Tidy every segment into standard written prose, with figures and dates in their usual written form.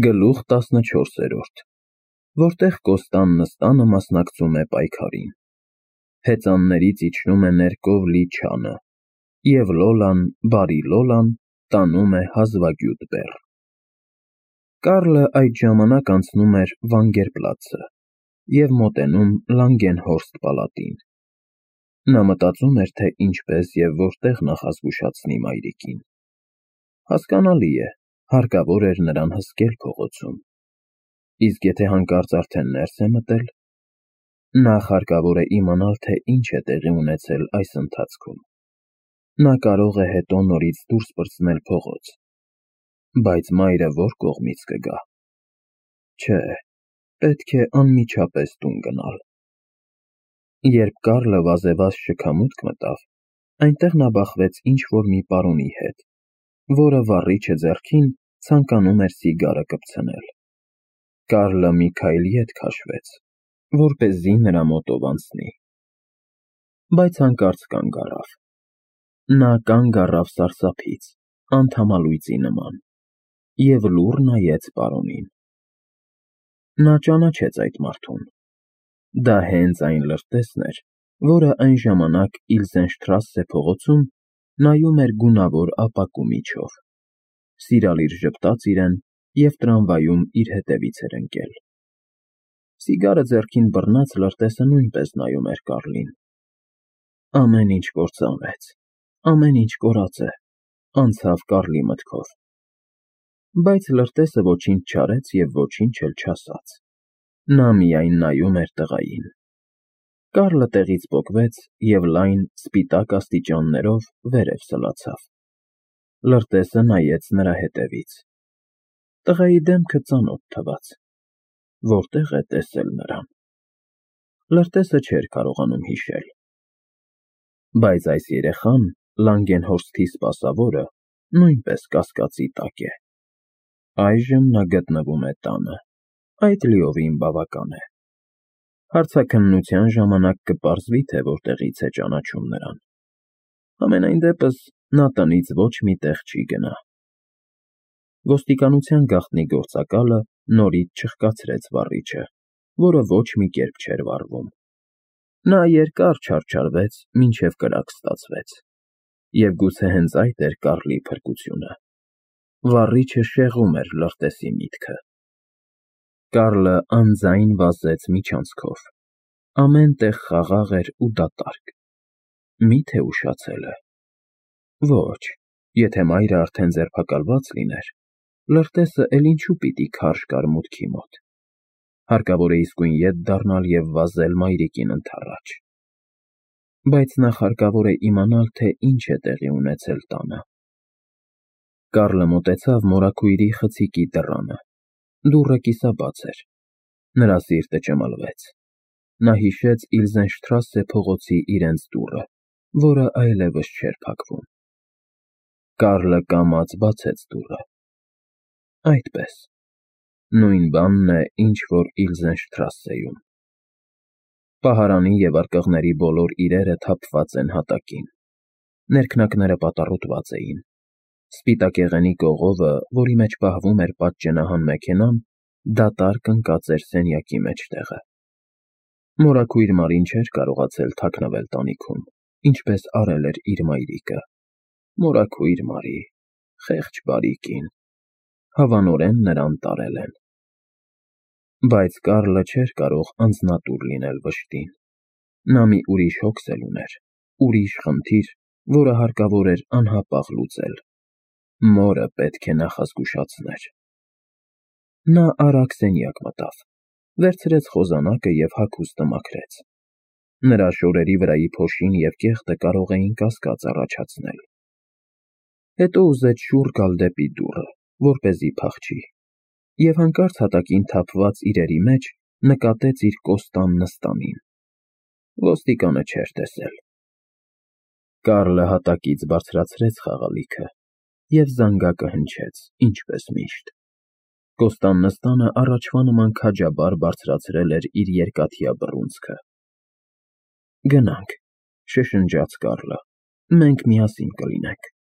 Գլուխ 14, որտեղ Կոստան Նստանը մասնակցում է պայքարին։ Հեծաններից իջնում է ներկով լի չանը, և Լոլան, բարի Լոլան, տանում է հազվագյուտ բեռ։ Կարլը այդ ժամանակ անցնում էր Վանգերպլացը և մոտենում Լանգենհորստ պալատին։ Նա մտածում էր, թե ինչպես և որտեղ նախազգուշացնի մայրիկին։ Հասկանալի է, հարկավոր էր նրան հսկել փողոցում։ Իսկ եթե հանկարծ արդեն ներս է մտել, նախ հարկավոր է իմանալ, թե ինչ է տեղի ունեցել այս ընթացքում։ Նա կարող է հետո նորից դուրս պրծնել փողոց, բայց մայրը ո՞ր կողմից կգա։ Չէ, պետք է անմիջապես տուն գնալ։ Երբ Կարլը վազեվազ շքամուտք մտավ, այնտեղ նա բախվեց ինչ-որ մի պարոնի հետ, որը վառիչը ձեռքին ցանկանում էր սիգարը կպցնել։ Կարլը մի քայլ ետ քաշվեց, որպեսզի նրա մոտով անցնի, բայց հանկարծ կանգ առավ։ Նա կանգ առավ սարսափից, անթամալույծի նման, և լուռ նայեց պարոնին։ Նա ճանաչեց այդ մարդուն։ Դա հենց այն լրտեսն էր, որը այն ժամանակ Իլզենշտրասե փողոցում նայում էր գունավոր ապակու միջով, սիրալիր ժպտաց իրեն և տրամվայում իր հետևից էր ընկել։ Սիգարը ձեռքին բռնած լրտեսը նույնպես նայում էր Կարլին։ Ամեն ինչ կործանվեց, ամեն ինչ կորած է, անցավ Կարլի մտքով։ Բայց լրտեսը ոչինչ չարեց և ոչինչ էլ չասաց։ Նա միայն նայում էր տղային։ Կարլը տեղից պոկվեց և լայն, սպիտակ աստիճաններով վերև սլացավ։ Լրտեսը նայեց նրա հետևից։ Տղայի դեմքը ծանոթ թվաց։ Որտե՞ղ է տեսել նրան։ Լրտեսը չէր կարողանում հիշել։ Բայց այս երեխան, Լանգենհորսթի սպասավորը, նույնպես կասկածի տակ է։ Այժմ նա գտնվում է տանը։ Այդ լիովին բավական է։ Հարցաքննության ժամանակ կպարզվի, թե որտեղից է ճանաչում նրան։ Համենայն դեպս, նա տնից ոչ մի տեղ չի գնա։ Ոստիկանության գաղտնի գործակալը նորից չխկացրեց վառիչը, որը ոչ մի կերպ չէր վառվում։ Նա երկար չարչարվեց, մինչև կրակ ստացվեց։ Եվ գուցե հենց այդ էր Կարլի փրկությունը։ Վառիչը շեղում էր լրտեսի միտքը։ Կարլը անձայն վազեց միջանցքով։ Ամեն տեղ խաղաղ էր ու դատարկ։ Մի՞թե ուշացել է։ Ոչ, եթե մայրը արդեն ձերբակալված լիներ, լրտեսը էլ ինչու պիտի քարշ գար մուտքի մոտ։ Հարկավոր է իսկույն ետ դառնալ և վազել մայրիկին ընդառաջ։ Բայց նախ հարկավոր է իմանալ, թե ինչ է տեղի ունեցել տանը։ Կարլը մոտեցավ մորաքույրի խցիկի դռանը։ Դուռը կիսաբաց էր։ Նրա սիրտը ճմլվեց։ Նա հիշեց Իլզենշտրասե փողոցի իրենց դուռը, որը այլևս չէր փակվում։ Կարլը կամաց բացեց դուռը։ Այդպես։ Նույն բանն է, ինչ որ Իլզենշտրասեում։ Պահարանի և արկղների բոլոր իրերը թափված են հատակին։ Ներքնակները պատառոտված էին։ Սպիտակեղենի կողովը, որի մեջ պահվում էր պատճենահան մեքենան, դատարկ ընկած էր սենյակի մեջտեղը։ Մորաքույր Մարին չէր կարողացել թաքնվել տանիքում, ինչպես արել էր իր մայրիկը։ Մորաքույր Մարի, խեղճ բարի կին, հավանորեն նրան տարել են։ Բայց Կարլը չէր կարող անձնատուր լինել վշտին։ Նա մի ուրիշ հոգս էլ ուներ, ուրիշ խնդիր, որը հարկավոր էր անհապաղ լուծել։ Մորը պետք է նախազգուշացներ։ Նա արագ սենյակ մտավ, վերցրեց խոզանակը և հագուստը մաքրեց։ Նրա շորերի վրայի փոշին և կեղտը կարող էին կասկած առաջացնել։ Հետո ուզեց շուռ գալ դեպի դուռը, որպեսզի փախչի, և հանկարծ հատակին թափված իրերի մեջ նկատեց իր Կոստան Նստանին։ Ոստիկանը չէր տեսել։ Կարլը հատակից բարձրացրեց խաղալիքը և զանգակը հնչեց, ինչպես միշտ։ Կոստան Նստանը առաջվա նման քաջաբար բարձրացրել էր իր երկաթյա բռունցքը։ Գնանք, շշնջաց Կարլը, մենք միասին կլինենք։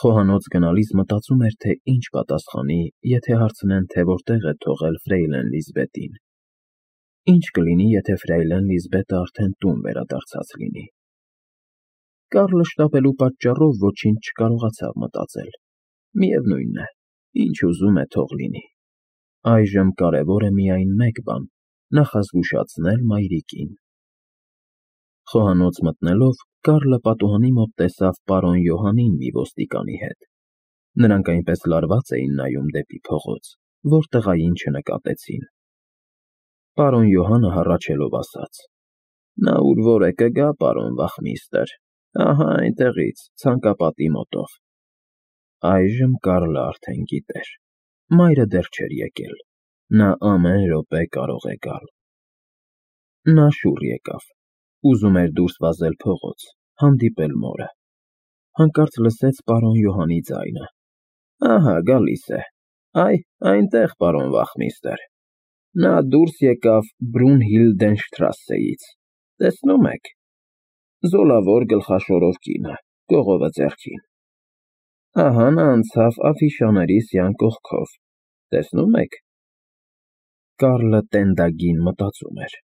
Խոհանոց գնալիս մտածում էր, թե ինչ պատասխանի, եթե հարցնեն, թե որտեղ է թողել ֆրեյլեն Լիզբետին։ Ինչ կլինի, եթե ֆրեյլեն Լիզբետը արդեն տուն վերադարձած լինի։ Կարլը շտապելու պատճառով ոչինչ չկարողացավ մտածել։ Միևնույն է, ինչ ուզում է թող լինի։ Այժմ կարևոր է միայն մեկ բան՝ նախազգուշացնել մայրիկին։ Խոհանոց մտնելով, Կարլը պատուհանի մոտ տեսավ պարոն Յոհանին մի ոստիկանի հետ։ Նրանք այնպես լարված էին նայում դեպի փողոց, որ տղային չնկատեցին։ Պարոն Յոհանը հառաչելով ասաց. «Նա ուր որ է կգա, պարոն վախմիստր, ահա այնտեղից, ցանկապատի մոտով»։ Այժմ Կարլը արդեն գիտեր։ Մայրը դեռ չէր եկել։ Նա ամեն րոպե կարող է գալ։ Նա շուռ եկավ։ Ուզում էր դուրս վազել փողոց, հանդիպել մորը։ Հանկարծ լսեց պարոն Յոհանի ձայնը. «Ահա գալիս է, այնտեղ, պարոն վախմիստր։ Նա դուրս եկավ Բրունհիլդենշտրասեից, տեսնում եք, զոլավոր գլխաշորով կինը, կողովը ձեռքին։ Ահա նա անցավ Աֆիշաների սյան կողքով, տեսնում եք»։ Կարլը տենդագին մտածում էր։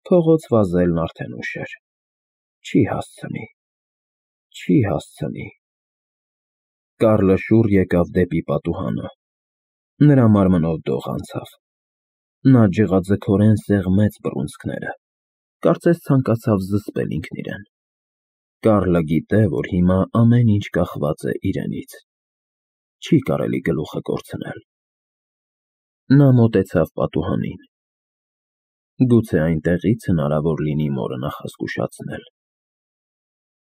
Փողոց վազելն արդեն ուշ էր։ Չի հասցնի։ Կարլը շուռ եկավ դեպի պատուհանը։ Նրա մարմնով դող անցավ։ Նա ջղաձգորեն սեղմեց բռունցքները, կարծես ցանկացավ զսպել ինքն իրեն։ Կարլը գիտե, որ հիմա ամեն ինչ կախված է իրենից։ Չի կարելի գլուխը կորցնել։ Նա մոտեցավ պատուհանին։ Գուցե այնտեղից հնարավոր լինի մորը նախազգուշացնել։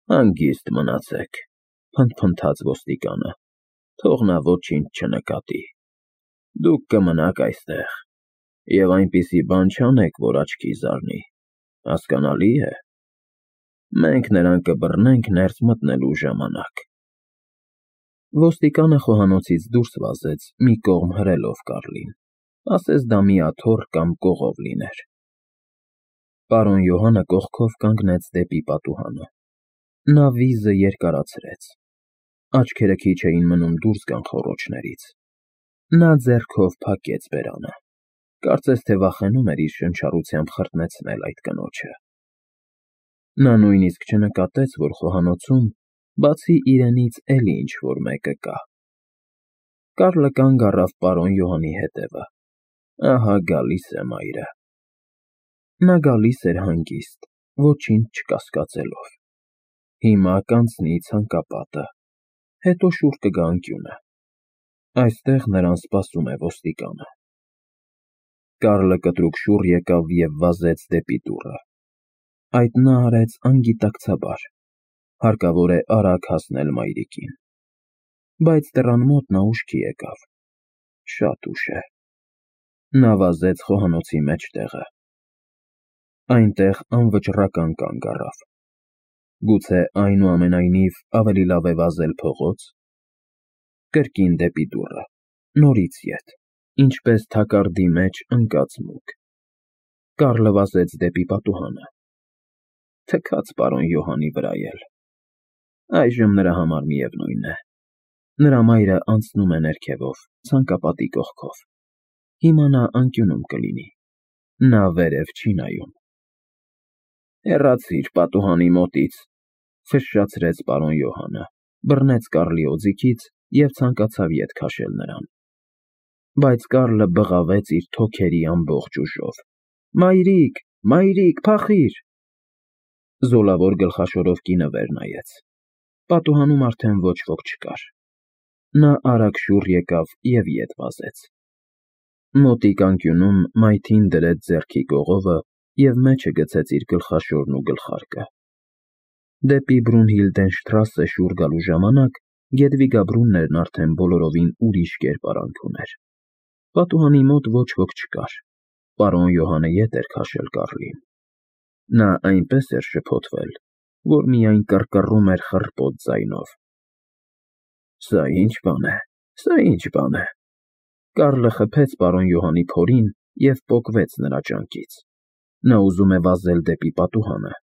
«Հանգիստ մնացեք», փնթփնթաց ոստիկանը, «թող նա ոչինչ չնկատի։ Դուք կմնաք այստեղ և այնպիսի բան չանեք, որ աչքի զարնի, հասկանալի է։ Մենք նրան կբռնենք ներս մտնելու ժամանակ»։ Ոստիկանը խոհանոցից դուրս վազեց, մի կողմ հրելով Կարլին, ասես դա մի աթոռ կամ կողով լիներ։ Պարոն Յոհանը կողքով կանգնեց դեպի պատուհանը։ Նա վիզը երկարացրեց։ Աչքերը քիչ էին մնում դուրս գան խոռոչներից։ Նա ձեռքով փակեց բերանը, կարծես թե վախենում էր իր շնչառությամբ խրտնեցնել այդ կնոջը։ Նա նույնիսկ չնկատեց, որ խոհանոցում, բացի իրենից, էլի ինչ-որ մեկը կա։ Կարլը կանգ առավ պարոն Յոհանի հետևը։ Ահա գալիս է մայրը։ Նա գալիս էր հանգիստ, ոչինչ չկասկածելով։ Հիմա կանցնի ցանկապատը, հետո շուռ կգա անկյունը։ Այստեղ նրան սպասում է ոստիկանը։ Կարլը կտրուկ շուռ եկավ և վազեց դեպի դուռը։ Այդ նա արեց անգիտակցաբար։ Հարկավոր է արագ հասնել մայրիկին։ Բայց դռան մոտ նա ուշքի եկավ։ Շատ ուշ է։ Նա վազեց խոհանոցի մեջտեղը։ Այնտեղ անվճռական կանգ առավ։ Գուցե այնուամենայնիվ ավելի լավ է վազել փողոց։ Կրկին դեպի դուռը, նորից ետ, ինչպես թակարդի մեջ ընկած մուկ։ Կարլը վազեց դեպի պատուհանը։ Թքած պարոն Յոհանի վրա էլ։ Այժմ նրա համար միևնույն է։ Նրա մայրը անցնում է ներքևով, ցանկապատի կողքով։ Հիմա նա անկյունում կլինի։ Նա վերև չի նայում։ «Հեռացիր պատուհանի մոտից», ֆշշացրեց պարոն Յոհանը, բռնեց Կարլի օձիքից և ցանկացավ ետ քաշել նրան։ Բայց Կարլը բղավեց իր թոքերի ամբողջ ուժով. «Մայրիկ, մայրիկ, փախիր»։ Զոլավոր գլխաշորով կինը վեր նայեց։ Պատուհանում արդեն ոչ ոք չկար։ Նա արագ շուռ եկավ և ետ վազեց։ Մոտիկ անկյունում մայթին դրեց ձեռքի կողովը և մեջը գցեց իր գլխաշորն ու գլխարկը։ Դեպի Բրունհիլդենշտրասե շուռ գալու ժամանակ Գեդվիգա Բրուններն արդեն բոլորովին ուրիշ կերպարանք ուներ։ Պատուհանի մոտ ոչ ոք չկար։ Պարոն Յոհանը ետ էր քաշել Կարլին։ Նա այնպես էր շփոթվել, որ միայն կռկռում էր խռպոտ ձայնով։ Սա ինչ բան է։ Կարլը խփեց պարոն Յոհանի փորին և պոկվեց նրա ճանկից։ Նա ուզում է վազել դեպի պատուհանը,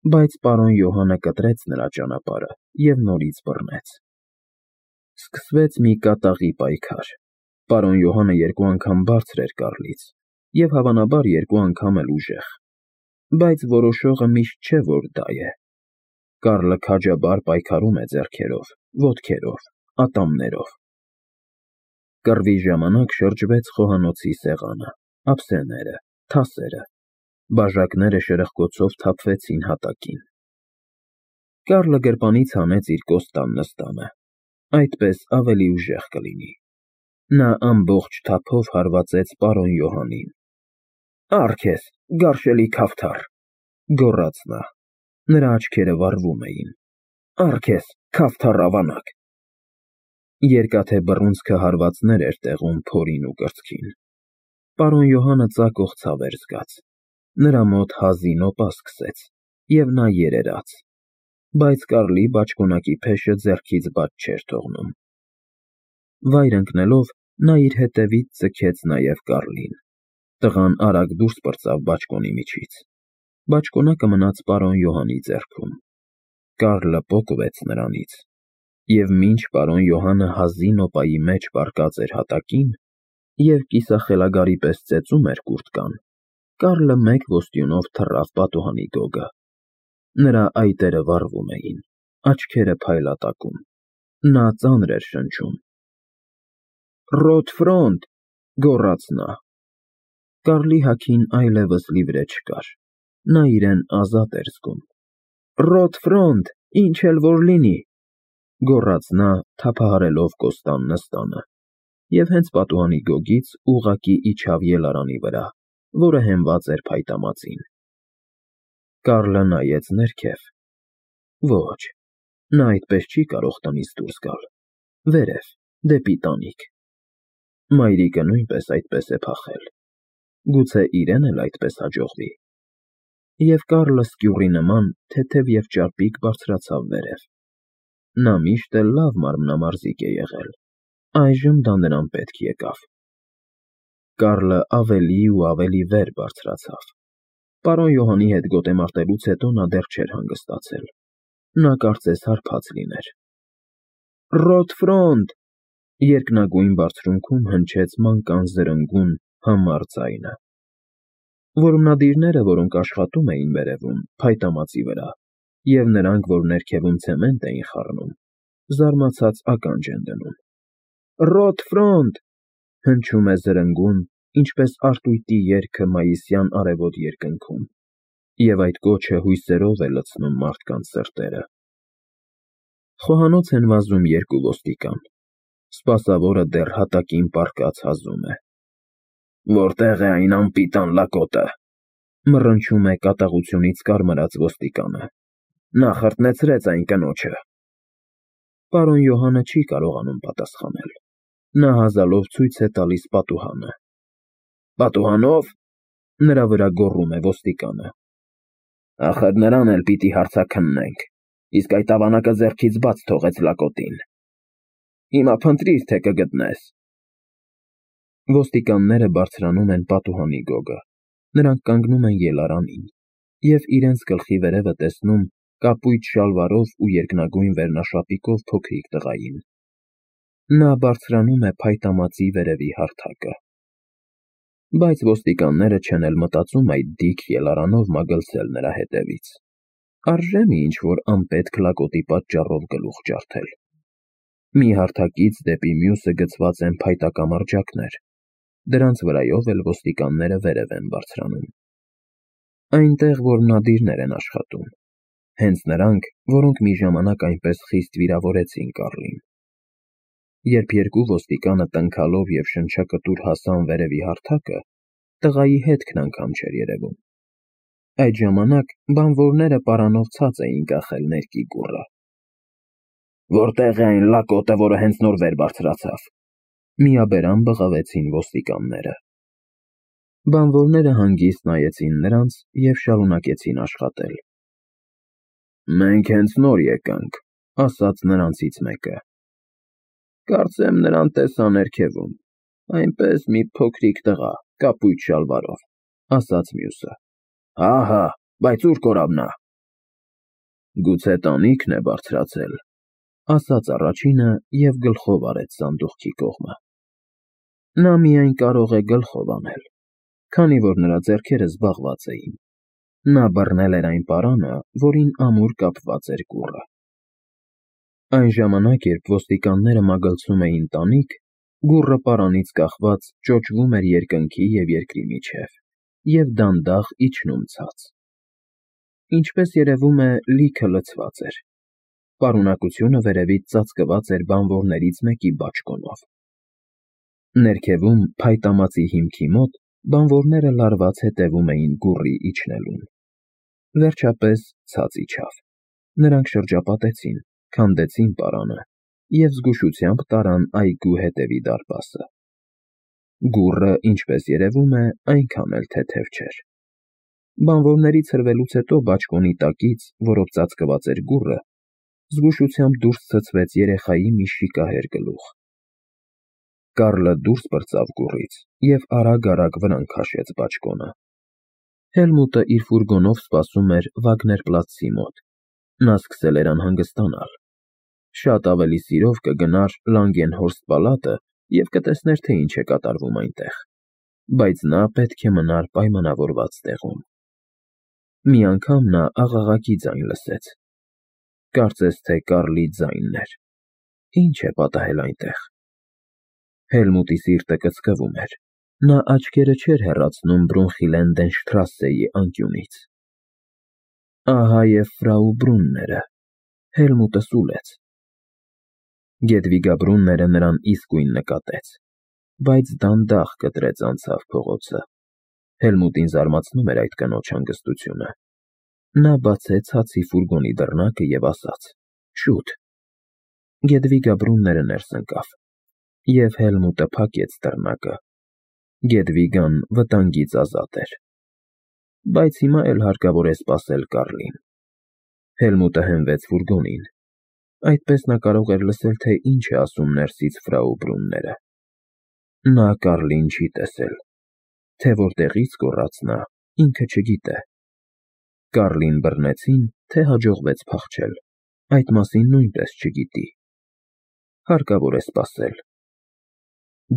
բայց պարոն Յոհանը կտրեց նրա ճանապարհը և նորից բռնեց։ Սկսվեց մի կատաղի պայքար։ Պարոն Յոհանը երկու անգամ բարձր էր Կարլից և հավանաբար երկու անգամ էլ ուժեղ, բայց որոշողը միշտ չէ, որ դա է։ Կարլը քաջաբար պայքարում է ձեռքերով, ոտքերով, ատամներով։ Կռվի ժամանակ շրջվեց խոհանոցի սեղանը, ափսեները, թասերը, բաժակները շրխկոցով թափվեցին հատակին։ Կարլը գրպանից հանեց իր կոստան նստանը, այդպես ավելի ուժեղ կլինի։ Նա ամբողջ թափով հարվածեց պարոն Յոհանին։ «Առ քեզ, գարշելի քավթար», գոռաց նա։ Նրա աչքերը վառվում էին։ «Առ քեզ, քավթար ավանակ»։ Երկաթե բռունցքը հարվածներ էր տեղում փորին ու կրծքին։ Պարոն Յոհանը ծակող ցավ էր զգաց։ Նրա մոտ հազի նոպա սկսեց, և նա երերաց, բայց Կարլի բաճկոնակի փեշը ձեռքից բաց չէր թողնում։ Վայր ընկնելով, նա իր հետևից ձգեց նաև Կարլին։ Տղան արագ դուրս պրծավ բաճկոնի միջից։ Բաճկոնակը մնաց պարոն Յոհանի ձեռքում։ Կարլը պոկվեց նրանից, և մինչ պարոն Յոհանը հազի նոպայի մեջ պառկած էր հատակին և կիսախելագարի պես ծեծում էր կուրտկան, Կարլը մեկ ոստյունով թռավ պատուհանի գոգը։ Նրա այտերը վառվում էին, աչքերը փայլատակում։ Նա ծանր էր շնչում։ «Ռոտ ֆրոնտ», գոռաց նա։ Կարլի հագին այլևս լիվրե չկար։ Նա իրեն ազատ էր զգում։ «Ռոտ ֆրոնտ, ինչ էլ որ լինի», գոռաց նա, թափահարելով կոստան նստանը, և հենց պատուհանի գոգից ուղղակի իջավ ելարանի վրա, որը հենված էր փայտամածին։ Կարլը նայեց ներքև։ Ոչ, նա այդպես չի կարող տնից դուրս գալ։ Վերև, դեպի տանիք։ Մայրիկը նույնպես այդպես է փախել։ Գուցե իրեն էլ այդպես հաջողվի։ Եվ Կարլը սկյուռի նման թեթև և ճարպիկ բարձրացավ վերև։ Նա միշտ էլ լավ մարմնամարզիկ է եղել, այժմ դա նրան պետք եկավ։ Կարլը ավելի ու ավելի վեր բարձրացավ։ Պարոն Յոհանի հետ գոտեմարտելուց հետո նա դեռ չէր հանգստացել։ Նա կարծես հարբած լիներ։ «Ռոտ ֆրոնտ», երկնագույն բարձրունքում հնչեց մանկան զրնգուն, համառ ձայնը։ Որմնադիրները, որոնք աշխատում էին վերևում, փայտամածի վրա, և նրանք, որ ներքևում ցեմենտ էին խառնում, զարմացած ականջ են դնում։ «Ռոտ ֆրոնտ», հնչում է զրնգուն, ինչպես արտույտի երգը մայիսյան արևոտ երկնքում, և այդ կոչը հույսերով է լցնում մարդկանց սրտերը։ Խոհանոց են վազում երկու ոստիկան։ Սպասավորը դեռ հատակին պառկած հազում է։ «Որտե՞ղ է այն անպիտան լակոտը», մռնչում է կատաղությունից կարմրած ոստիկանը։ «Նա խրտնեցրեց այն կնոջը»։ Պարոն Յոհանը չի կարողանում պատասխանել։ Նա հազալով ցույց է տալիս պատուհանը։ «Պատուհանո՞վ»։ Նրա վրա գոռում է ոստիկանը։ «Ախր նրան էլ պիտի հարցաքննենք, իսկ այդ ավանակը ձեռքից բաց թողեց լակոտին։ Հիմա փնտրիր, թե կգտնես»։ Ոստիկանները բարձրանում են պատուհանի գոգը։ Նրանք կանգնում են ելարանին և իրենց գլխի վերևը տեսնում կապույտ շալվարով ու երկնագույն վերնաշապիկով փոքրիկ տղային։ Նա բարձրանում է փայտամածի վերևի հարթակը։ Բայց ոստիկանները չեն էլ մտածում այդ դիք ելարանով մագլցել նրա հետևից։ Արժե՞ մի ինչ-որ անպետք լակոտի պատճառով գլուխ ջարդել։ Մի հարթակից դեպի մյուսը գցված են փայտակամարջակներ։ Դրանց վրայով էլ ոստիկանները վերև են բարձրանում։ Այնտեղ որմնադիրներ են աշխատում։ Հենց նրանք, որոնք մի ժամանակ այնպես խիստ վիրավորեցին Կարլին։ Երբ երկու ոստիկանը տնքալով և շնչակտուր հասան վերևի հարթակը, տղայի հետքն անգամ չէր երևում։ Այդ ժամանակ բանվորները պարանով ցած էին կախել ներկի կուռը։ «Որտե՞ղ է այն լակոտը, որը հենց նոր վեր բարձրացավ», միաբերան բղավեցին ոստիկանները։ Բանվորները հանգիստ նայեցին նրանց և շարունակեցին աշխատել։ «Մենք հենց նոր եկանք», ասաց նրանցից մեկը։ «Կարծեմ նրան տեսա ներքևում, այնպես մի փոքրիկ տղա, կապույտ շալվարով», ասաց մյուսը։ «Հա, բայց ուր կորավ նա»։ «Գուցե տանիքն է բարձրացել», ասաց առաջինը և գլխով արեց սանդուղքի կողմը։ Նա միայն կարող է գլխով անել, քանի որ նրա ձեռքերը զբաղված էին։ Նա բռնել էր այն պարանը, որին ամուր կապված էր կուռը։ Այն ժամանակ, երբ ոստիկանները մագլցում էին տանիք, գուռը պարանից կախված ճոճվում էր երկնքի և երկրի միջև և դանդաղ իջնում ցած։ Ինչպես երևում է, լիքը լցված էր։ Պարունակությունը վերևից ծածկված էր բանվորներից մեկի բաճկոնով։ Ներքևում, փայտամածի հիմքի մոտ, բանվորները լարված հետևում էին գուռի իջնելուն։ Վերջապես ցած իջավ։ Նրանք շրջապատեցին, քանդեցին պարանը և զգուշությամբ տարան այգու հետևի դարպասը։ Գուռը, ինչպես երևում է, այնքան էլ թեթև չէր։ Բանվորների ցրվելուց հետո բաճկոնի տակից, որով ծածկված էր գուռը, զգուշությամբ դուրս ցցվեց երեխայի մի շիկահեր գլուխ։ Կարլը դուրս պրծավ գուռից և արագ-արագ վրան քաշեց բաճկոնը։ Հելմուտը իր ֆուրգոնով սպասում էր Վագներպլացցի մոտ։ Նա սկսել էր անհանգստանալ։ Շատ ավելի սիրով կգնար Լանգենհորստ պալատը և կտեսներ, թե ինչ է կատարվում այնտեղ, բայց նա պետք է մնար պայմանավորված տեղում։ Մի անգամ նա աղաղակի ձայն լսեց։ Կարծես թե Կարլի ձայնն էր։ Ինչ է պատահել այնտեղ։ Հելմուտի սիրտը կծկվում էր։ Նա աչքերը չէր հեռացնում Բրունխիլենդենշտրասսեի անկյունից։ Ահա և ֆրաու Բրունները։ Հելմուտը սուլեց։ Գեդվիգա Բրունները նրան իսկույն նկատեց, բայց դանդաղ կտրեց անցավ փողոցը։ Հելմուտին զարմացնում էր այդ կնոջ հանգստությունը։ Նա բացեց հացի ֆուրգոնի դռնակը և ասաց. «Շուտ»։ Գեդվիգա Բրունները ներս ընկավ, և Հելմուտը փակեց դռնակը։ Գեդվիգան վտանգից ազատ էր։ Բայց հիմա էլ հարկավոր է սպասել Կարլին։ Հելմուտը հենվեց ֆուրգոնին։ Այդպես նա կարող էր լսել, թե ինչ է ասում ներսից ֆրաու Բրունները։ Նա Կարլին չի տեսել։ Թե որտեղից գոռաց նա, ինքը չգիտե։ Կարլին բռնեցին, թե հաջողվեց փախչել, այդ մասին նույնպես չգիտի։ Հարկավոր է սպասել։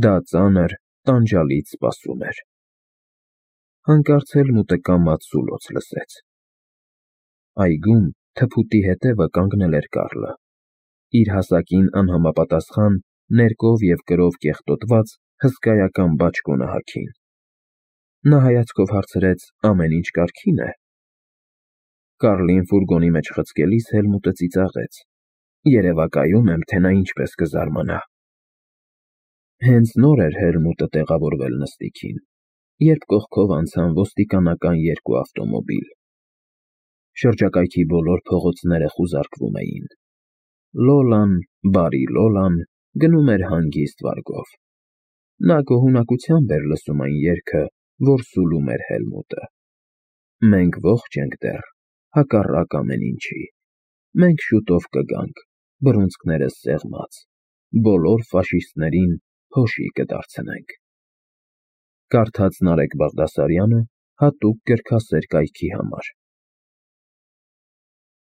Դա ծանր, տանջալից սպասում էր։ Հանկարծ Հելմուտը կամաց սուլոց լսեց։ Այգում թփուտի հետևը կանգնել էր Կարլը։ Իր հասակին անհամապատասխան, ներկով և կրով կեղտոտված հսկայական բաճկոնը հագին։ Նա հայացքով հարցրեց. ամեն ինչ կարգի՞ն է։ Կարլին ֆուրգոնի մեջ խցկելիս Հելմուտը ծիծաղեց. երևակայում եմ, թե նա ինչպես կզարմանա։ Հենց նոր էր Հելմուտը տեղավորվել նստիքին, երբ կողքով անցան ոստիկանական երկու ավտոմոբիլ։ Շրջակայքի բոլոր փողոցները խուզարկվում էին։ Լոլան, բարի Լոլան, գնում էր հանգիստ վարգով։ Նա գոհունակությամբ էր լսում այն երգը, որ սուլում էր Հելմուտը. Մենք ողջ ենք դեռ, հակառակ ամեն ինչի։ Մենք շուտով կգանք, բռունցքներս սեղմած, բոլոր ֆաշիստներին փոշի կդարձնենք։ Կարդաց Նարեկ Բաղդասարյանը հատուկ գրքասեր կայքի համար։